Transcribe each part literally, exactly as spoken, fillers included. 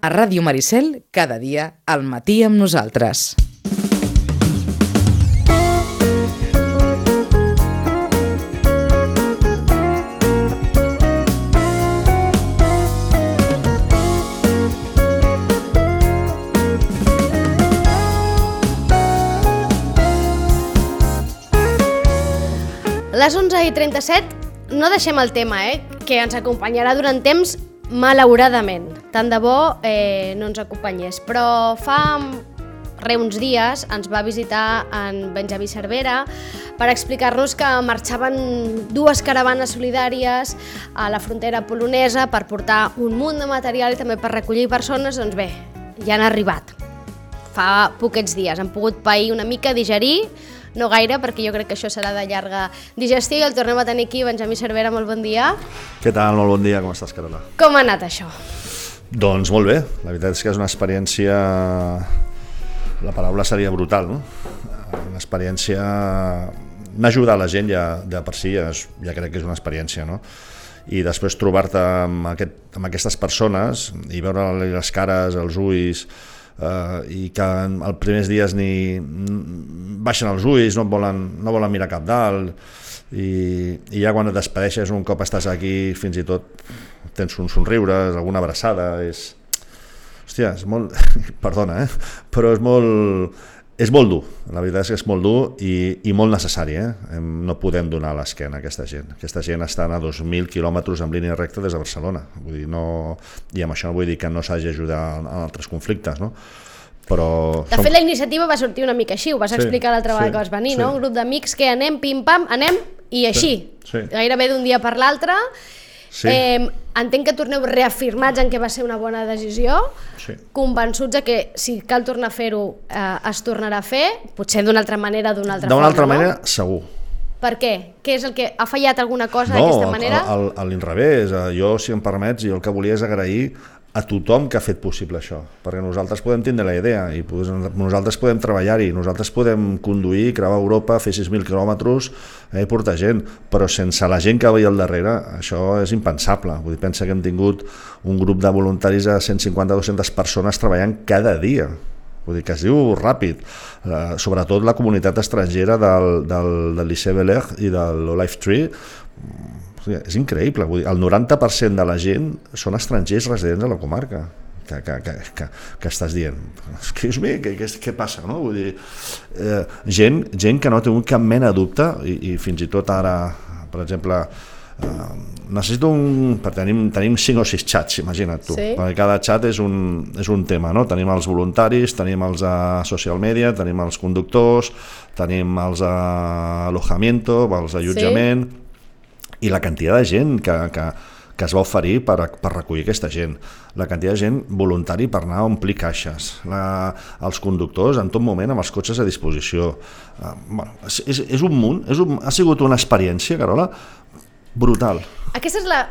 A Ràdio Maricel, cada dia, al matí amb nosaltres. Les onze i trenta-set, no deixem el tema, eh, que ens acompanyarà durant temps, malauradament. Tant de bo eh, no ens acompanyés. Però fa re uns dies ens va visitar en Benjamí Cervera per explicar-nos que marxaven dues caravanes solidàries a la frontera polonesa per portar un munt de material i també per recollir persones. Doncs bé, ja han arribat. Fa poquets dies han pogut pair una mica, digerir, no gaire, perquè jo crec que això serà de llarga digestió, i el tornem a tenir aquí. Benjamí Cervera, molt bon dia. Què tal? Molt bon dia, com estàs, Carola? Com ha anat això? Doncs molt bé, la veritat és que és una experiència, la paraula seria brutal, no? Una experiència, n'ajudar la gent ja de per si, ja, ja crec que és una experiència, no? I després trobar-te amb, aquest, amb aquestes persones i veure les cares, els ulls, Uh, i que els primers dies ni baixen els ulls, no volen, no volen mirar cap dalt, i, i ja quan et despedeixes un cop estàs aquí fins i tot tens un somriure, alguna abraçada, és... Hòstia, és molt... Perdona, eh? Però és molt... És molt dur, la veritat és que és molt dur i, i molt necessari, eh? No podem donar l'esquena a aquesta gent. Aquesta gent estan a dos mil quilòmetres en línia recta des de Barcelona. Vull dir, no... I amb això no vull dir que no s'hagi d'ajudar en altres conflictes, no? Però... De fet, la iniciativa va sortir una mica així, ho vas sí, explicar l'altra vegada sí, que vas venir, sí. No? Un grup d'amics que anem, pim-pam, anem, i així. Sí, sí. Gairebé d'un dia per l'altre. Sí. Eh, entenc que torneu reafirmats en què va ser una bona decisió, sí. Convençuts de que si cal tornar a fer-ho eh, es tornarà a fer, potser d'una altra manera, d'una altra forma, D'una altra no? manera, segur. Per què? Què és el que ha fallat alguna cosa no, d'aquesta manera? No, a l'inrevés. Jo, si em permets, jo el que volia és agrair a tothom que ha fet possible això, perquè nosaltres podem tindre la idea i nosaltres podem treballar-hi, nosaltres podem conduir, creuar Europa, fer sis mil quilòmetres i eh, portar gent, però sense la gent que veia al darrere això és impensable. Vull dir, pensa que hem tingut un grup de voluntaris de cent cinquanta a dues-centes persones treballant cada dia. Vull dir que es diu ràpid, uh, sobretot la comunitat estrangera del, del, del Liceu Beler i del Olive Tree. És increïble, vull dir, el noranta per cent de la gent són estrangers residents a la comarca, que, que, que, que, que estàs dient, excuse me, què, què, què passa, no? Vull dir, eh, gent, gent que no ha tingut cap mena de dubte, i, i fins i tot ara, per exemple, eh, necessito un... perquè tenim, tenim cinc o sis xats, imagina't tu, sí. Perquè cada xat és un, és un tema, no? Tenim els voluntaris, tenim els a social media, tenim els conductors, tenim els a alojamiento, els allotjament, sí. I la quantitat de gent que, que, que es va oferir per, per recollir aquesta gent, la quantitat de gent voluntari per anar a omplir caixes, la, els conductors en tot moment amb els cotxes a disposició. Uh, bueno, és, és, és un munt, és un, ha sigut una experiència, Carola, brutal. Aquesta és la,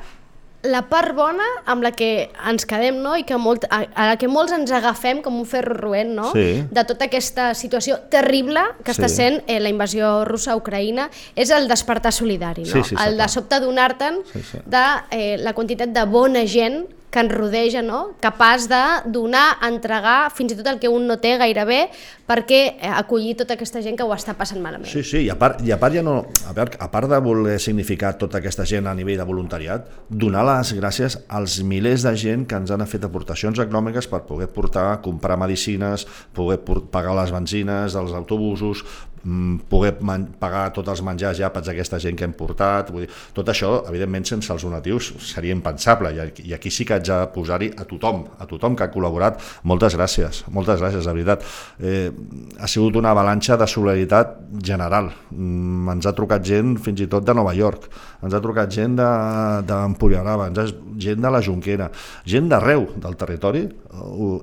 la part bona amb la que ens quedem, no? I que molt, a, a la que molts ens agafem com un ferro roent, no? Sí. De tota aquesta situació terrible que està sí. sent eh, la invasió russa a Ucraïna, és el despertar solidari, no? Sí, sí, el de sobte donar-te'n sí, sí. de eh, la quantitat de bona gent que ens rodeja, no? Capaç de donar, entregar, fins i tot el que un no té gairebé, perquè acollir tota aquesta gent que ho està passant malament. Sí, sí, i a part, i a part, ja no, a part, a part de voler significar tota aquesta gent a nivell de voluntariat, donar les gràcies als milers de gent que ens han fet aportacions econòmiques per poder portar, comprar medicines, poder pagar les benzines dels autobusos, poder pagar tots els menjars i àpats d'aquesta gent que hem portat. Vull dir, tot això, evidentment, sense els donatius seria impensable, i aquí sí que haig de posar-hi a tothom, a tothom que ha col·laborat. Moltes gràcies, moltes gràcies, de veritat. Eh, ha sigut una avalanxa de solidaritat general. Mm, ens ha trucat gent fins i tot de Nova York, ens ha trucat gent d'Empuriaraba, gent de la Jonquera, gent d'arreu del territori,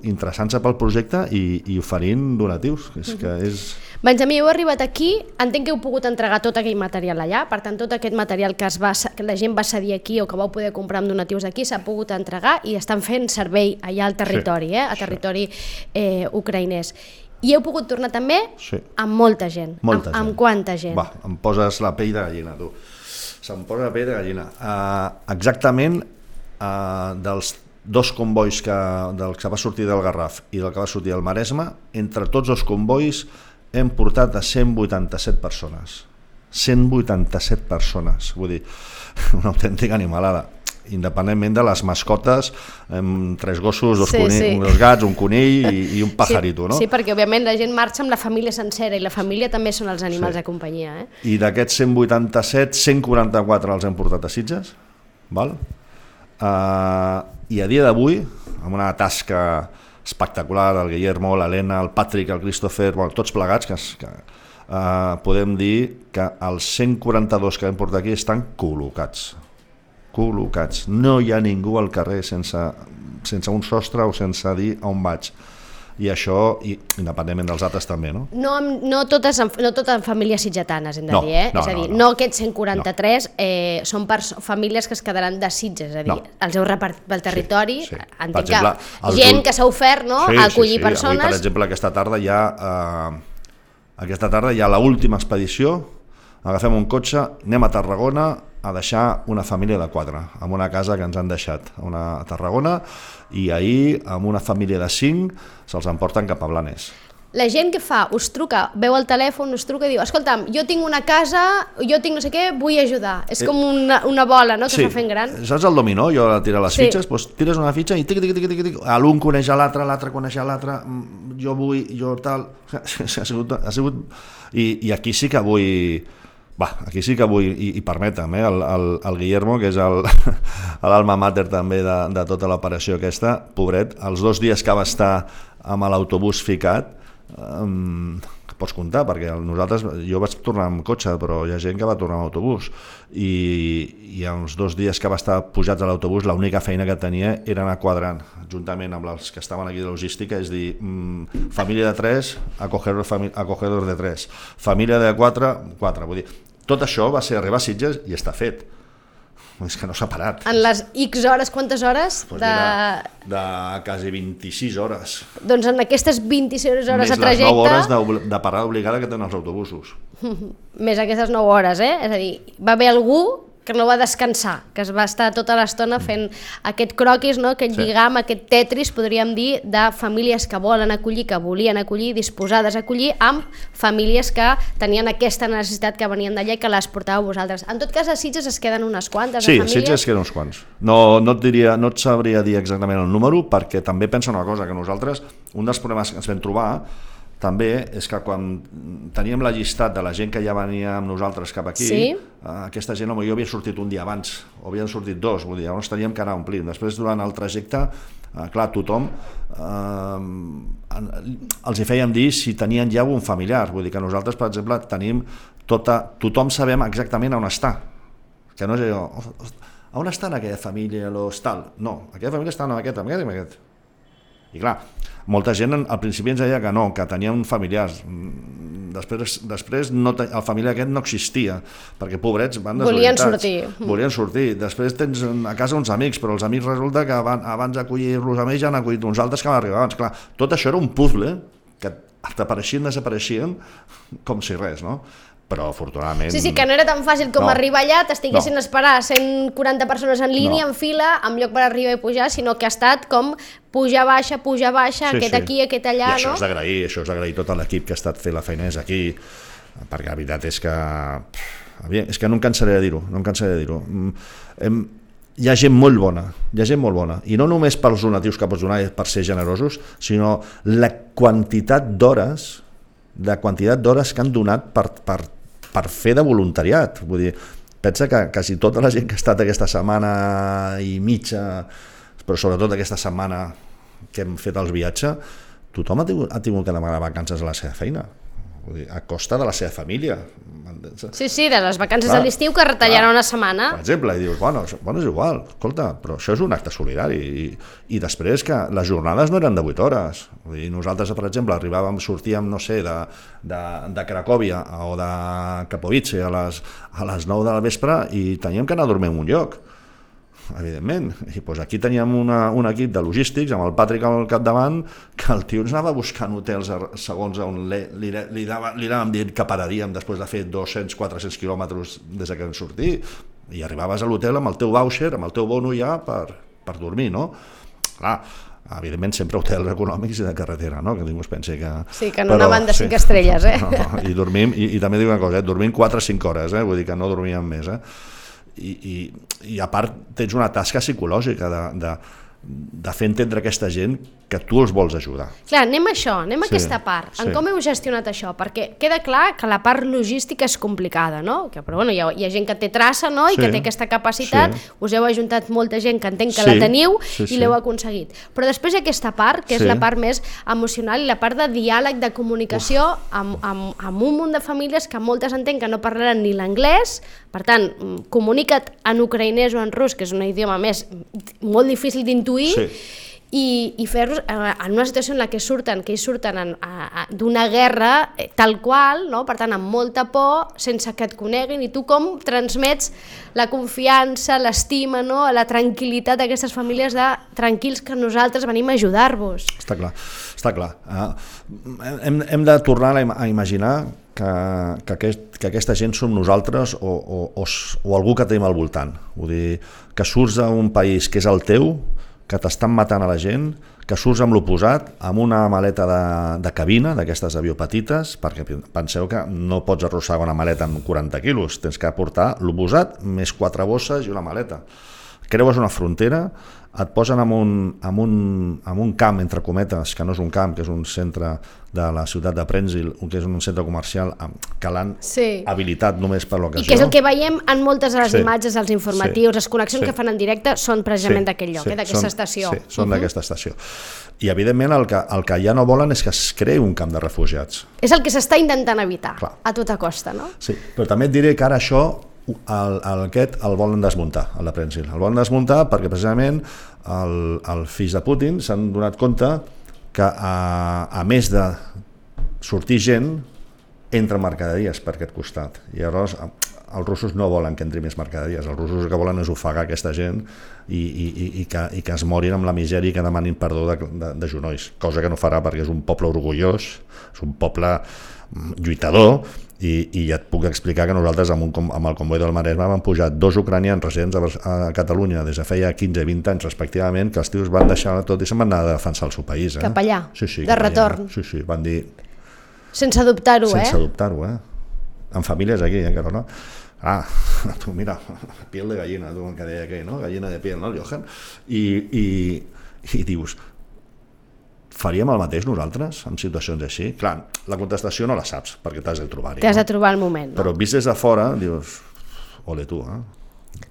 interessant-se pel projecte i, i oferint donatius. És que és... Benjamí, heu arribat aquí, entenc que heu pogut entregar tot aquell material allà, per tant tot aquest material que, es va, que la gent va cedir aquí o que vau poder comprar amb donatius aquí s'ha pogut entregar i estan fent servei allà al territori, sí, eh, a territori eh, ucraïnès. I heu pogut tornar també sí. amb molta gent. Molta amb, gent. Amb quanta gent? Va, em poses la pell de gallina, tu. Se'm posa la pell de gallina. Uh, exactament, uh, dels dos convois que, del que va sortir del Garraf i del que va sortir del Maresme, entre tots els convois hem portat a cent vuitanta-set persones. cent vuitanta-set persones, vull dir, una autèntica animalada. Independentment de les mascotes, amb tres gossos, dos, sí, conill, sí. dos gats, un conill i, i un pajarito, sí, no? Sí, perquè òbviament la gent marxa amb la família sencera i la família també són els animals Sí. de companyia. Eh? I d'aquests cent vuitanta-set, cent quaranta-quatre els hem portat a Sitges, val? Uh, i a dia d'avui, amb una tasca espectacular, el Guillermo, l'Helena, el Patrick, el Christopher, bueno, tots plegats, que, que uh, podem dir que els cent quaranta-dos que hem portat aquí estan col·locats. col·locats. No hi ha ningú al carrer sense, sense un sostre o sense dir on vaig. I això, i, independentment dels altres també, no? No, no, totes, no totes famílies sitgetanes, hem de No, dir, eh? no, és a dir, no, no, no. no aquests cent quaranta-tres no. eh, són per famílies que es quedaran de Sitges, és a dir, No. els heu repartit pel territori, Sí, sí. entenc Per exemple, que els gent ul- que s'ha ofert, no?, Sí, a acollir sí, sí. persones. Avui, per exemple, aquesta tarda hi ha, eh, aquesta tarda hi ha l'última expedició, agafem un cotxe, anem a Tarragona a deixar una família de quatre, en una casa que ens han deixat una, a Tarragona, i ahir, amb una família de cinc, se'ls emporten cap a Blanes. La gent que fa, us truca, veu el telèfon, us truca i diu, escolta'm, jo tinc una casa, jo tinc no sé què, vull ajudar. És com una, una bola, no?, que Sí, s'ha fent gran. saps el dominó? Jo a tirar les Sí. fitxes, doncs tires una fitxa i tic, tic, tic, tic, tic, l'un coneix a l'altre, l'altre coneix a l'altre, mm, jo vull, jo tal... Ha sigut, ha sigut... I, I aquí sí que vull... Va, aquí sí que vull, i, i permetem, eh, el, el, el Guillermo, que és el, l'alma mater també de, de tota l'operació aquesta, pobret, els dos dies que va estar amb l'autobús ficat, um, pots comptar, perquè nosaltres, jo vaig tornar amb cotxe, però hi ha gent que va tornar amb autobús, i, i els dos dies que va estar pujats a l'autobús, l'única feina que tenia era anar quadrant, juntament amb els que estaven aquí de logística, és dir, mm, família de tres, acogedor, fami, acogedor de tres, família de quatre, quatre, vull dir, tot això va ser arribar a Sitges i està fet. És que no s'ha parat. En les X hores, quantes hores? Pues de... mira, de quasi vint-i-sis hores. Doncs en aquestes vint-i-sis hores Més de trajecte... les nou hores de, de parada obligada que tenen els autobusos. Més aquestes nou hores, eh? És a dir, va haver algú que no va descansar, que es va estar tota l'estona fent aquest croquis, no? Aquest Sí. lligam, aquest tetris, podríem dir, de famílies que volen acollir, que volien acollir, disposades a acollir, amb famílies que tenien aquesta necessitat que venien d'allà i que les portàveu vosaltres. En tot cas, a Sitges es queden unes quantes Sí, de a famílies? Sitges queden uns quants. No, no, et diria, no et sabria dir exactament el número, perquè també pensa una cosa, que nosaltres, un dels problemes que ens vam trobar també és que quan teníem la llistat de la gent que ja venia amb nosaltres cap aquí, Sí. aquesta gent potser havia sortit un dia abans, o havien sortit dos, vull dir, llavors teníem que anar omplint. Després, durant el trajecte, eh, clar, tothom eh, els hi fèiem dir si tenien ja un familiar, vull dir que nosaltres, per exemple, tenim tota, tothom sabem exactament on està, que no és allò, on està en aquella família, los tal? No, aquella família està en aquest, en aquest i en aquest. I clar, molta gent al principi ens deia que no, que tenien familiars. Després, després no, el familiar aquest no existia, perquè pobrets van Volien desorientats. sortir. Volien sortir. Després tens a casa uns amics, però els amics resulta que van, abans d'acollir-los a ells ja han acollit uns altres que van arribar abans. Clar, tot això era un puzzle que apareixien, desapareixien, com si res, no? Però afortunadament... Sí, sí, que no era tan fàcil com No. arribar allà, t'estiguessin No. a esperar cent quaranta persones en línia, No. en fila, amb lloc per arribar i pujar, sinó que ha estat com pujar, baixa, pujar, baixa, Sí, aquest sí. aquí, aquest allà, I això no? és d'agrair, això és d'agrair tot l'equip que ha estat fent la feinesa aquí, perquè la veritat és que... pff, és que no em cansaré de dir-ho, no em cansaré de dir-ho. Mm, Hem, hi ha gent molt bona, hi ha gent molt bona, i no només pels donatius que pots donar per ser generosos, sinó la quantitat d'hores, la quantitat d'hores que han donat per, per, per fer de voluntariat. Vull dir, pensa que quasi tota la gent que ha estat aquesta setmana i mitja, però sobretot aquesta setmana que hem fet el viatge, tothom ha tingut, ha tingut que demanar vacances a la seva feina, vull dir, a costa de la seva família. Sí, sí, de les vacances Clar, de l'estiu que retallaran clar. una setmana. Per exemple, i dius, bueno, això, bueno, és igual, escolta, però això és un acte solidari. I, i després que les jornades no eren de vuit hores. Vull dir, nosaltres, per exemple, arribàvem, sortíem, no sé, de, de, de Cracòvia o de Katowice a les, a les nou de la vespre i teníem que anar a dormir en un lloc, evidentment. I doncs aquí teníem una, un equip de logístics amb el Patrick al capdavant, que el tio ens anava buscant hotels a, segons on li, li, li, dava, li anàvem dient que pararíem després de fer dos-cents a quatre-cents quilòmetres des que vam sortir, i arribaves a l'hotel amb el teu voucher, amb el teu bono ja per, per dormir, no? clar, evidentment sempre hotels econòmics i de carretera, no? Que ningú es pensi que... Sí, que no anaven de cinc estrelles, eh? No, no. I dormim, i, i també dic una cosa, eh? dormim quatre o cinc hores, eh? Vull dir que no dormíem més, eh? I, i, i a part tens una tasca psicològica de, de, de fer entendre a aquesta gent que tu els vols ajudar. Clar, anem a això, anem a Sí, aquesta part. En sí. com heu gestionat això? Perquè queda clar que la part logística és complicada, no? Que, però bueno, hi ha, hi ha gent que té traça, no? I Sí, que té aquesta capacitat, sí. us heu ajuntat molta gent que entenc que Sí, la teniu sí, i sí. l'heu aconseguit. Però després hi ha aquesta part, que és Sí. la part més emocional i la part de diàleg, de comunicació amb, amb, amb un munt de famílies que moltes entenc que no parlaran ni l'anglès, per tant, mm, comunica't en ucraïnès o en rus, que és un idioma més molt difícil d'intuir, Sí. i, i fer-los en una situació en la que surten, que ells surten en, a, a, d'una guerra eh, tal qual, no? Per tant, amb molta por, sense que et coneguin, i tu com transmets la confiança, l'estima, no? La tranquil·litat d'aquestes famílies de tranquils que nosaltres venim a ajudar-vos. Està clar, està clar. Uh, hem, hem de tornar a, im a imaginar que, que, aquest, que aquesta gent som nosaltres o, o, o, o algú que tenim al voltant. Vull dir, que surts d'un país que és el teu, que t'estan matant a la gent, que surts amb l'oposat, amb una maleta de, de cabina, d'aquestes avió petites, perquè penseu que no pots arrossegar una maleta amb quaranta quilos, tens que portar l'oposat més quatre bosses i una maleta. Creues una frontera, et posen en un, en un, en un camp, entre cometes, que no és un camp, que és un centre de la ciutat de Prenzil, que és un centre comercial que l'han Sí. habilitat només per l'ocasió. I que és el que veiem en moltes de les Sí. imatges, els informatius, Sí. les connexions Sí. que fan en directe són precisament Sí, d'aquell lloc, sí, eh, d'aquesta són- estació. Sí, són d'aquesta estació. I evidentment el que, el que ja no volen és que es creï un camp de refugiats. És el que s'està intentant evitar, Clar. a tota costa, no? Sí, però també et diré que ara això el, el, aquest el volen desmuntar, el de Prenzil. El volen desmuntar perquè precisament el, el fills de Putin s'han donat compte que a, a més de sortir gent, entren mercaderies per aquest costat. I llavors els russos no volen que entri més mercaderies, els russos el que volen és ofegar aquesta gent i, i, i, i, que, i que es morin amb la misèria i que demanin perdó de, de, de genolls, cosa que no farà perquè és un poble orgullós, és un poble lluitador, i, i ja et puc explicar que nosaltres amb, un, amb el comboi del Maresme vam pujar dos ucranians residents a, a Catalunya des de feia quinze i vint anys respectivament, que els tios van deixar tot i se'n van anar a defensar el seu país. Eh? Cap allà, sí, sí, de cap retorn. allà. Sí, sí, van dir... Sense dubtar-ho, eh? Sense dubtar-ho, eh? Amb famílies aquí, eh, Carona? Ah, tu mira, piel de gallina, tu, que deia aquell, no? Gallina de piel, no, el Johan? I, i, i dius, faríem el mateix nosaltres en situacions així? Clar, la contestació no la saps, perquè t'has de trobar-hi. T'has no? de trobar el moment, no? Però vist des de fora, dius, ole tu, eh?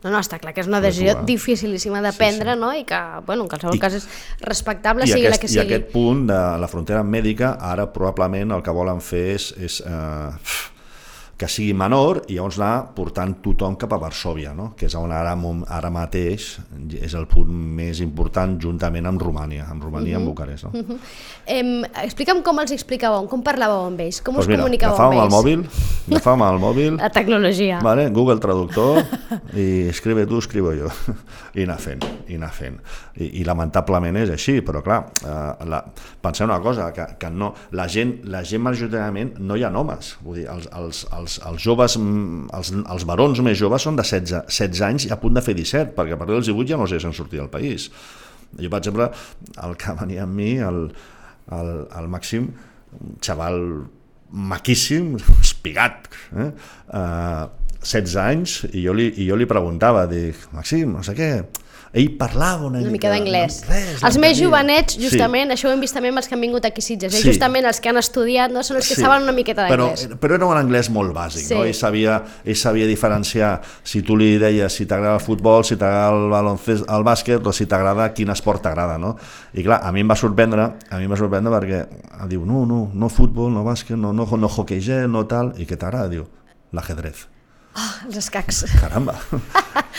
No, no, està clar que és una decisió eh? dificilíssima de Sí, prendre, sí. no? I que, bueno, en qualsevol I- cas és respectable, I sigui aquest, la que I sigui. aquest punt de la frontera mèdica, ara probablement el que volen fer és, és eh, que sigui menor i llavors anar portant tothom cap a Varsòvia, no? Que és on ara, ara mateix és el punt més important juntament amb Romània, amb Romània i amb Bucarest. No? Uh -huh. em, explica'm com els explicàveu, com parlàveu amb ells, com Pues us mira, comunicàveu amb agafàvem ells. el mòbil, agafàvem el mòbil, La tecnologia. vale, Google Traductor, i escribe tu, escribo jo, i anar fent, i anar fent. I, i lamentablement és així, però clar, eh, la, penseu una cosa, que, que no, la gent, la gent majoritàriament no hi ha homes, vull dir, els, els, els, els joves, els, els barons més joves són de setze, setze anys i a punt de fer disset, perquè a partir dels divuit ja no sé si han sortit del país. Jo, per exemple, el que venia amb mi, el, el, el Màxim, un xaval maquíssim, espigat, eh? Uh, setze anys, i jo li, i jo li preguntava, dic, Màxim, no sé què, ell parlava una, Una mica d'anglès. Res, Els més l'entenia. jovenets, justament, Sí. això ho hem vist també amb els que han vingut aquí a Sitges, eh? Sí. Justament els que han estudiat, no? Són els que Sí, saben una miqueta però, d'anglès. però era un anglès molt bàsic, Sí. no? Ell sabia, ell sabia diferenciar si tu li deies si t'agrada el futbol, si t'agrada el baloncest, el bàsquet, o si t'agrada quin esport t'agrada, no? I clar, a mi em va sorprendre, a mi em va sorprendre perquè diu, no, no, no futbol, no bàsquet, no, no, no hockey gel, no tal, i què t'agrada? Diu, l'ajedrez. Oh, els escacs. Caramba.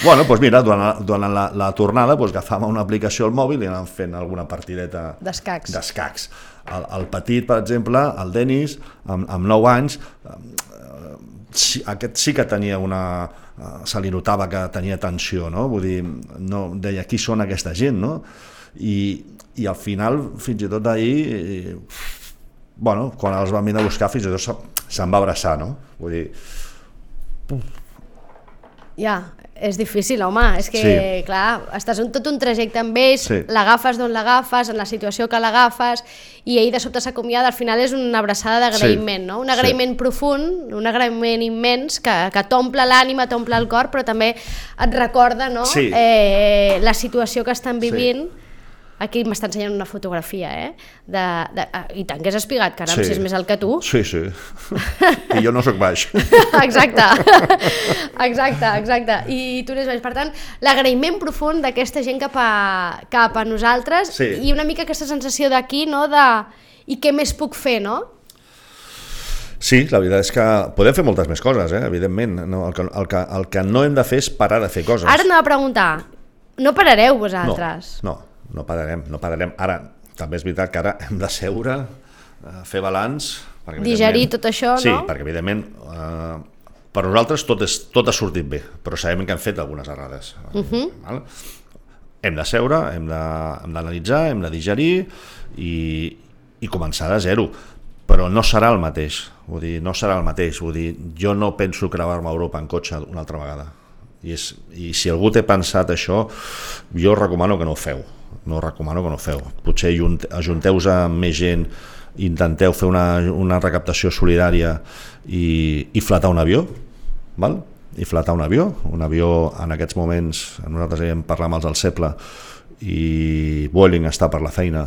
Bueno, doncs mira, durant, durant la, la tornada doncs agafàvem una aplicació al mòbil i anàvem fent alguna partideta D'escacs. d'escacs. El, el petit, per exemple, el Denis, amb, amb nou anys, eh, sí, aquest sí que tenia una... Eh, se li notava que tenia tensió, no? Vull dir, no, deia, qui són aquesta gent, no? I, i al final, fins i tot ahir, eh, bueno, quan els vam venir a buscar, fins i tot se- se'n va abraçar, no? Vull dir, Ja, és difícil, home, és que, sí. clar, estàs en tot un trajecte amb ells, sí. l'agafes d'on l'agafes, en la situació que l'agafes, i ell de sobte s'acomiada, al final és una abraçada d'agraïment, sí. no? Un agraïment sí. profund, un agraïment immens, que, que t'omple l'ànima, t'omple el cor, però també et recorda, no? Sí. Eh, la situació que estan vivint. Sí. Aquí m'està ensenyant una fotografia, eh? De, de, I tant que és espigat, caram, sí. si és més alt que tu. Sí, sí. I jo no sóc baix. Exacte. Exacte, exacte. I tu n'és baix. Per tant, l'agraïment profund d'aquesta gent cap a, cap a nosaltres sí. i una mica aquesta sensació d'aquí, no? De i què més puc fer, no? Sí, la veritat és que podem fer moltes més coses, eh? Evidentment. No, el, que, el, que, el que no hem de fer és parar de fer coses. Ara anava a preguntar, no parareu vosaltres? No, no. No pararem, no pararem. Ara, també és veritat que ara hem de seure, fer balanç... Digerir tot això, sí, no? Sí, perquè evidentment eh, per nosaltres tot, és, tot ha sortit bé, però sabem que hem fet algunes errades. Uh-huh. Val? Hem de seure, hem d'analitzar, hem de digerir i, i començar de zero. Però no serà el mateix, vull dir, no serà el mateix. Vull dir, jo no penso creuar-me a Europa en cotxe una altra vegada. I, és, I si algú té pensat això, jo recomano que no ho feu. No recomano que no ho feu. Potser ajunteu-vos amb més gent, intenteu fer una, una recaptació solidària i, i flatar un avió, val? I flatar un avió. Un avió en aquests moments, nosaltres hem parlat amb els del Seple i Vueling està per la feina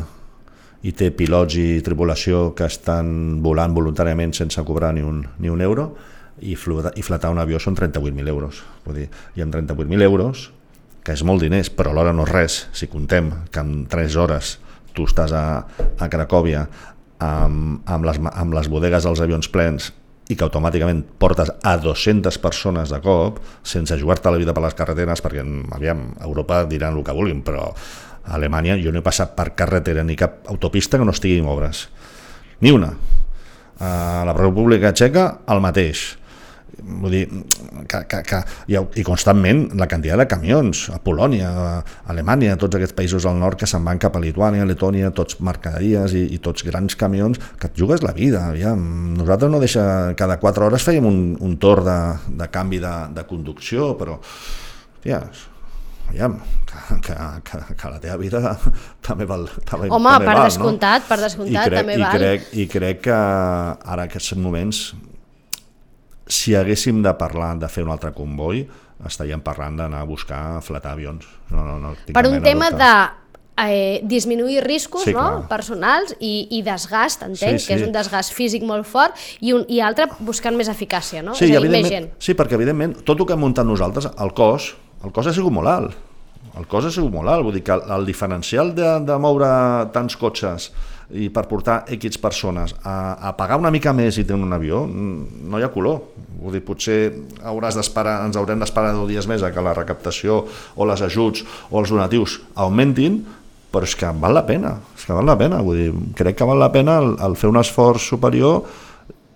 i té pilots i tripulació que estan volant voluntàriament sense cobrar ni un, ni un euro i, flatar, i flatar un avió són trenta-vuit mil euros. Vull dir, i amb trenta-vuit mil euros que és molt diners, però alhora no és res, si contem que en tres hores tu estàs a, a Cracòvia amb, amb, les, amb les bodegues dels avions plens i que automàticament portes a dues-centes persones de cop, sense jugar-te la vida per les carreteres, perquè aviam, a Europa diran el que vulguin, però a Alemanya jo no he passat per carretera ni cap autopista que no estigui en obres. Ni una. A la República Txeca, el mateix. Vull dir, que, que, que, i, i constantment la quantitat de camions a Polònia, a Alemanya, a tots aquests països del nord que se'n van cap a Lituània, Letònia, tots mercaderies i, i tots grans camions, que et jugues la vida. Aviam. Nosaltres no deixa, cada quatre hores fèiem un, un torn de, de canvi de, de conducció, però tia, aviam, que, que, que, que la teva vida també val. També, Home, també per val, descomptat, no? per descomptat crec, també i val. Crec, I crec que ara aquests moments, si haguéssim de parlar de fer un altre comboi, estaríem parlant d'anar a buscar flatar avions. No, no, no, per un tema de eh, disminuir riscos, sí, no? personals i, i desgast, entenc, sí, sí. que és un desgast físic molt fort, i, un, i altre buscant més eficàcia, no? Sí, és a dir, més gent. Sí, perquè evidentment tot el que hem muntat nosaltres, el cos, el cos ha sigut molt alt. El cos ha sigut molt alt, vull dir que el, el diferencial de, de moure tants cotxes i per portar X persones a, a pagar una mica més i tenir un avió, no hi ha color. Vull dir, potser hauràs d'esperar, ens haurem d'esperar deu dies més a que la recaptació o les ajuts o els donatius augmentin, però és que val la pena, és que val la pena. Vull dir, crec que val la pena el, el fer un esforç superior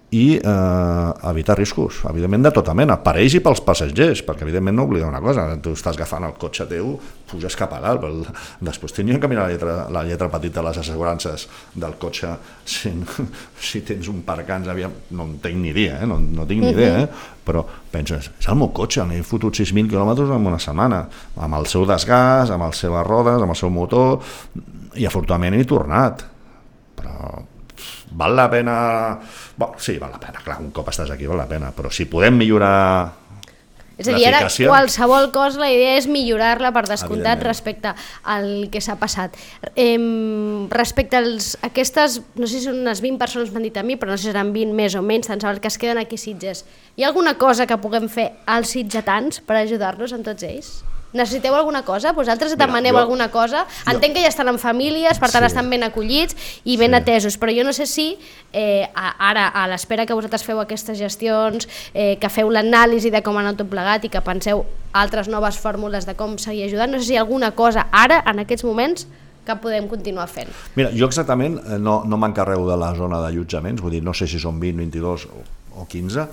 i eh, evitar riscos, evidentment de tota mena, per ells i pels passatgers, perquè evidentment no oblidar una cosa, tu estàs agafant el cotxe teu, puges cap a dalt, però després tindrien que mirar la lletra, la lletra petita de les assegurances del cotxe si, si tens un parcans, aviam, no en tinc ni idea, eh? no, no tinc ni idea, eh? Però penses, és el meu cotxe, n'he fotut sis mil quilòmetres en una setmana, amb el seu desgast, amb les seves rodes, amb el seu motor, i afortunadament he tornat, però val la pena. Bon, sí, val la pena, clar, un cop estàs aquí val la pena, però si podem millorar és a dir, ara qualsevol cosa la idea és millorar-la per descomptat respecte al que s'ha passat. Eh, respecte als aquestes, no sé si són unes vint persones m'han dit a mi, però no sé si seran vint més o menys, tant sabeu que es queden aquí a Sitges. Hi ha alguna cosa que puguem fer als sitgetans per ajudar-los amb tots ells? Necessiteu alguna cosa? Vosaltres demaneu jo, alguna cosa? Entenc jo, que ja estan en famílies, per tant sí. estan ben acollits i ben sí. atesos, però jo no sé si eh, ara, a l'espera que vosaltres feu aquestes gestions, eh, que feu l'anàlisi de com ha anat tot plegat i que penseu altres noves fórmules de com seguir ajudant, no sé si hi ha alguna cosa ara, en aquests moments, que podem continuar fent. Mira, jo exactament no, no m'encarrego de la zona d'allotjaments, vull dir, no sé si són vint, vint-i-dos o quinze,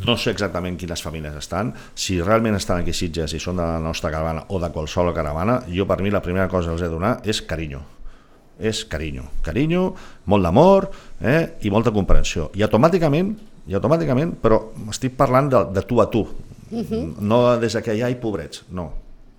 no sé exactament quines famílies estan, si realment estan aquí a Sitges i són de la nostra caravana o de qualsevol caravana, jo per mi la primera cosa que els he de donar és carinyo, és carinyo, carinyo, molt d'amor eh, i molta comprensió, i automàticament, i automàticament, però estic parlant de, de tu a tu, Uh-huh. No des que hi ha pobrets, no.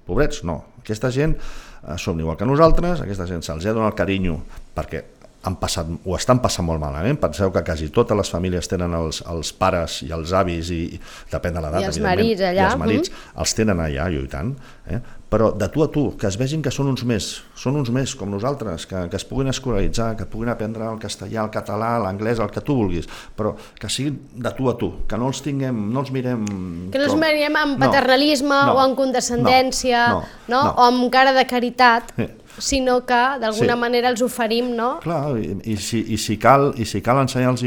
Pobrets, no. Aquesta gent eh, som igual que nosaltres, aquesta gent se'ls ha donat el carinyo perquè han passat, ho estan passant molt malament. Penseu que quasi totes les famílies tenen els, els pares i els avis, i depèn de l'edat, I els marits allà. I els marits mm. els tenen allà, lluitant. Eh? Però de tu a tu, que es vegin que són uns més, són uns més com nosaltres, que, que es puguin escolaritzar, que puguin aprendre el castellà, el català, l'anglès, el que tu vulguis, però que siguin de tu a tu, que no els tinguem, no els mirem... Que no els mirem amb paternalisme no, o amb condescendència, no, no, no? no. o amb cara de caritat. Sí. Sinó que d'alguna sí. manera els oferim, no? Clar, i, i, si, i, si cal, i si cal ensenyar-los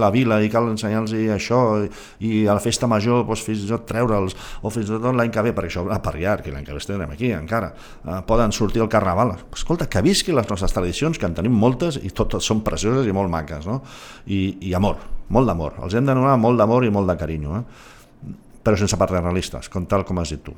la vila, i cal ensenyar-los això, i, i a la festa major doncs, fins i tot treure'ls, o fins i tot l'any que ve, perquè això a Parriar, que l'any que ve estarem aquí encara, eh, poden sortir al carnaval. Escolta, que visqui les nostres tradicions, que en tenim moltes, i totes són precioses i molt maques, no? I, i amor, molt d'amor. Els hem de donar molt d'amor i molt de carinyo, eh? Però sense paternalistes, com tal com has dit tu.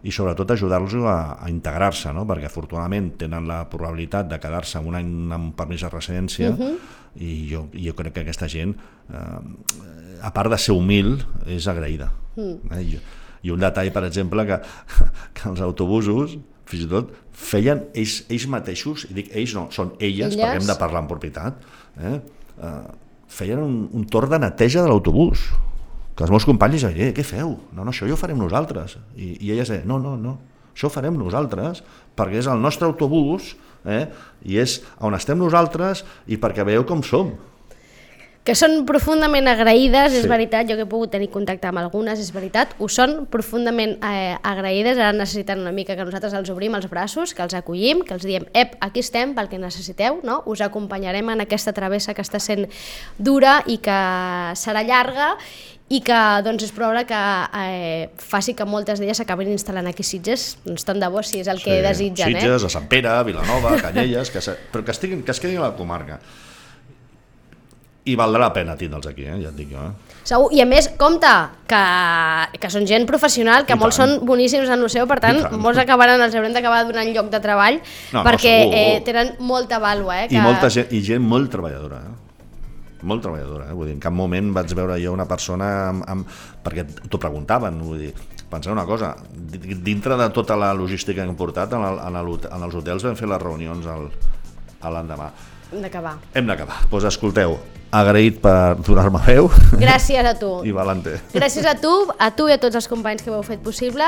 I sobretot ajudar-los a, a integrar-se, no? Perquè afortunadament tenen la probabilitat de quedar-se un any amb permís de residència, uh-huh. i jo, jo crec que aquesta gent, eh, a part de ser humil, és agraïda. Uh-huh. Eh? I, I un detall, per exemple, que, que els autobusos, fins i tot, feien ells, ells mateixos, i dic ells no, són elles, elles? Perquè hem de parlar en propietat, eh? Eh, feien un, un torn de neteja de l'autobús, que els meus companys deien, eh, què feu? No, no, això ja ho farem nosaltres. I, i elles deien, no, no, no, això ho farem nosaltres, perquè és el nostre autobús, eh, i és on estem nosaltres, i perquè veieu com som. Que són profundament agraïdes, sí. És veritat, jo que he pogut tenir contacte amb algunes, és veritat, ho són profundament eh, agraïdes, ara necessiten una mica que nosaltres els obrim els braços, que els acollim, que els diem, ep, aquí estem pel que necessiteu, no? Us acompanyarem en aquesta travessa que està sent dura i que serà llarga, i que doncs, és probable que eh, faci que moltes d'elles s'acabin instal·lant aquí a Sitges, doncs tant de bo si és el que sí, desitgen. Sitges, eh? a Sant Pere, a Vilanova, a Canyelles, que se... però que, estiguin, que es quedin a la comarca. I valdrà la pena tindre'ls aquí, eh? Ja et dic jo. Eh? Segur, i a més, compte, que, que són gent professional, que I molts tant. Són boníssims en el seu, per tant, tant. molts acabaran, els haurem d'acabar donant lloc de treball, no, perquè no, eh, tenen molta vàlua. Eh, que... I, molta gent, I gent molt treballadora, eh? Molt treballadora, eh? Vull dir, en cap moment vaig veure jo una persona amb, amb... perquè t'ho preguntaven, vull dir, penseu una cosa, dintre de tota la logística que hem portat, en, el, en, el, en els hotels vam fer les reunions al, a l'endemà. Hem d'acabar. Hem d'acabar. Doncs pues escolteu, agraït per donar-me veu. Gràcies a tu. I Valente. Gràcies a tu, a tu i a tots els companys que ho heu fet possible,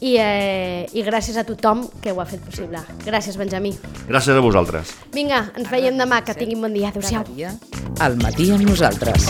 i, eh, i gràcies a tothom que ho ha fet possible. Gràcies, Benjamí. Gràcies a vosaltres. Vinga, ens veiem demà, que tinguin bon dia. Adéu-siau. Cada dia, al matí amb nosaltres.